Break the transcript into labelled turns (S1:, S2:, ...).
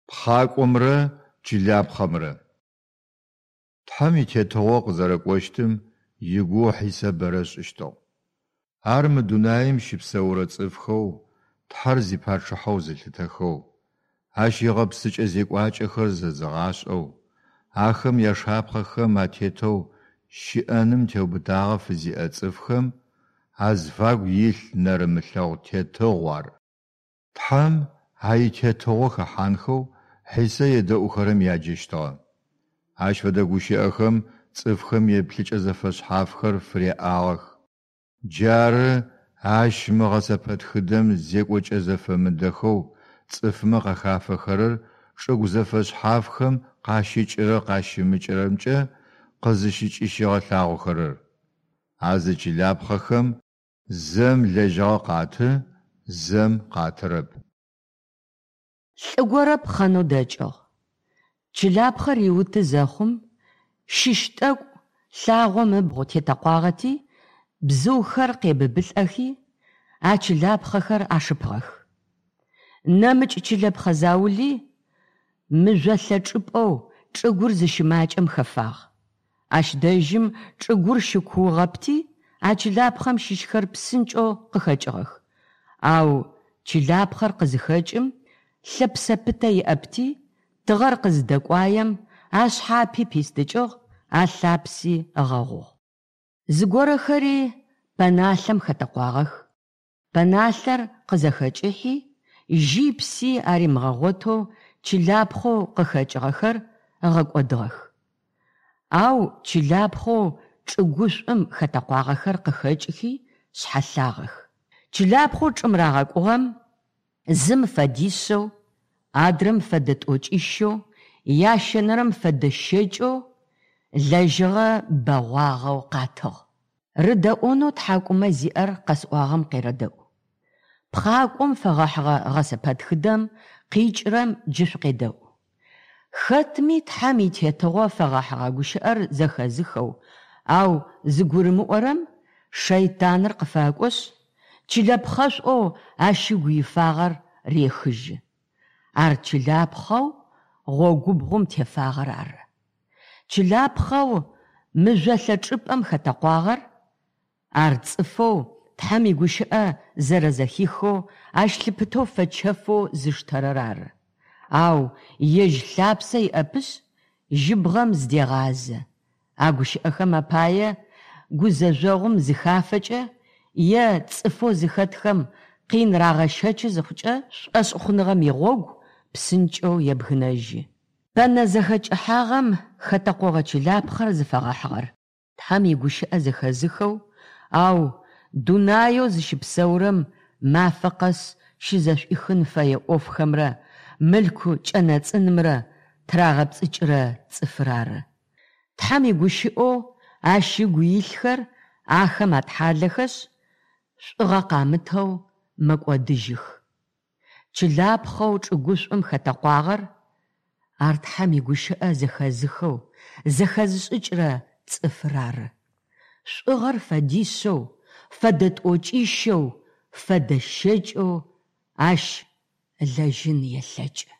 S1: Пхъакӏомрэ чылапхъэмрэ. Тхьэм и Тетыгъо къызэрэкӏощтым игугъу Хьисэ бэрэ ышӏыщтыгъ. Ар мы дунаим щыпсэурэ цӏыфхэу Тхьэр зипачъыхьэу зылъытэхэу, ащ игъэпсыкӏэ-зекӏуакӏэхэр зэзыгъашӏэу, ахэм яшапхъэхэм атетэу щыӏэным теубытагъэ фызиӏэ цӏыфхэм азыфагу илъ нэрымылъэгъу тетыгъу ар. Тхьэм а итетыгъо хэхьанхэу Хьисэ едэӏухэрэм яджэщтыгъэ. Ащ фэдэ гущыӏэхэм цӏыфхэм еплъыкӏэ зэфэшъхьафхэр фыряӏагъэх. Джары ащ мы гъэсэпэтхыдэм зекӏокӏэ зэфэмыдэхэу цӏыфмэ къахафэхэрэр чӏыгу зэфэшъхьафхэм къащыкӏырэ-къащымыкӏырэмкӏэ къызыщыкӏыщигъэлъагъохэрэр. А зы чылапхъэхэм зэм лэжьыгъэ къаты, зэм къатырэп.
S2: Лӏы горэ пхъэнэу дэкӏыгъ. Чылапхъэр риуты зэхъум, щыщ тӏэкӏу лъагъом ыбгъу тетэкъуагъэти, бзыухэр къебыбылӏэхи, а чылапхъэхэр ашыпыгъэх. Нэмыкӏ чылэпхъэ заули мыжъолъэ чӏыпӏэу чӏыгур зыщымакӏэм хэфагъ. Ащ дэжьым чӏыгур щыкуугъэпти, а чылапхъэм щыщхэр псынкӏэу къыхэкӏыгъэх. Ау чылапхъэр къызыхэкӏым, лъэпсэ пытэ иӏэпти, тыгъэр къызыдэкӏуаем, ашъхьапи пистыкӏыгъ, алъапси ыгъэгъугъ. Зыгорэхэри пэналъэм хэтэкъуагъэх. Пэналъэр къызэхэкӏыхьи, жьи пси аримыгъэгъотэу чылапхъэу къыхэкӏыгъэхэр ыгъэкӏодыгъэх. Ау чылапхъэу чӏыгушӏум хэтэкъуагъэхэр къыхэкӏыхи шъхьэлъагъэх. Чылапхъэу чӏым рагъэкӏугъэм зым фэдишъэу, адрэм фэдэ тӏокӏищэу, ящэнэрэм фэдэ щэкӏэу лэжьыгъэ бэгъуагъэу къатыгъ. Рыдэӏонэу тхьакӏумэ зиӏэр къэсӏуагъэм къерэдэӏу. Пхъакӏом фэгъэхьыгъэ гъэсэпэтхыдэм къикӏырэм джы шъукъедэӏу. Хэтми Тхьэм и Тетыгъо фэгъэхьыгъэ гущыӏэр зэхэзыхэу, ау зыгурымыӏорэм шэйтаныр къыфэкӏошъ, чылэпхъэшӏоу ащ ыгу ифагъэр рехыжьы. Ар чылапхъэу гъогубгъум тефагъэр ары. Чылапхъэу мыжъолъэ чӏыпӏэм хэтэкъуагъэр, ар цӏыфэу Тхьэм игущыӏэ зэрэзэхихэу ащ лъыпытэу фэчэфэу зыштэрэр ары. Ау ежь лъапсэ иӏэпышъ, жьыбгъэм зыдегъазэ. А гущыӏэхэм апае гузэжъогъум зыхафэкӏэ е цӏыфэу зыхэтхэм къин рагъэщэчы зыхъукӏэ, шӏошъхъуныгъэм игъогу псынкӏэу ебгынэжьы. Пэнэ зэхэкӏыхьагъэм хэтэкъогъэ чылапхъэр зыфэгъэхьыгъэр Тхьэм игущыӏэ зэхэзыхэу, ау дунаеу зыщыпсэурэм мафэ къэс щызэшӏуихын фэе ӏофхэмрэ мылъку кӏэнэцӏынымрэ тырагъэпцӏыкӏырэ цӏыфыр ары. Тхьэм игущыӏэу ащ ыгу илъхэр ахэм атхьалэхэшъ, шӏугъэ къамытэу мэкӏодыжьых. Чылапхъэу чӏыгушӏум хэтэкъуагъэр, ар Тхьэм игущыӏэ зэхэзыхэу, зэхэзышӏыкӏырэ цӏыфыр ары. Шӏугъэр фэдишъэу, фэдэ тӏокӏищэу, фэдэ щэкӏэу ащ ылэжьын елъэкӏы.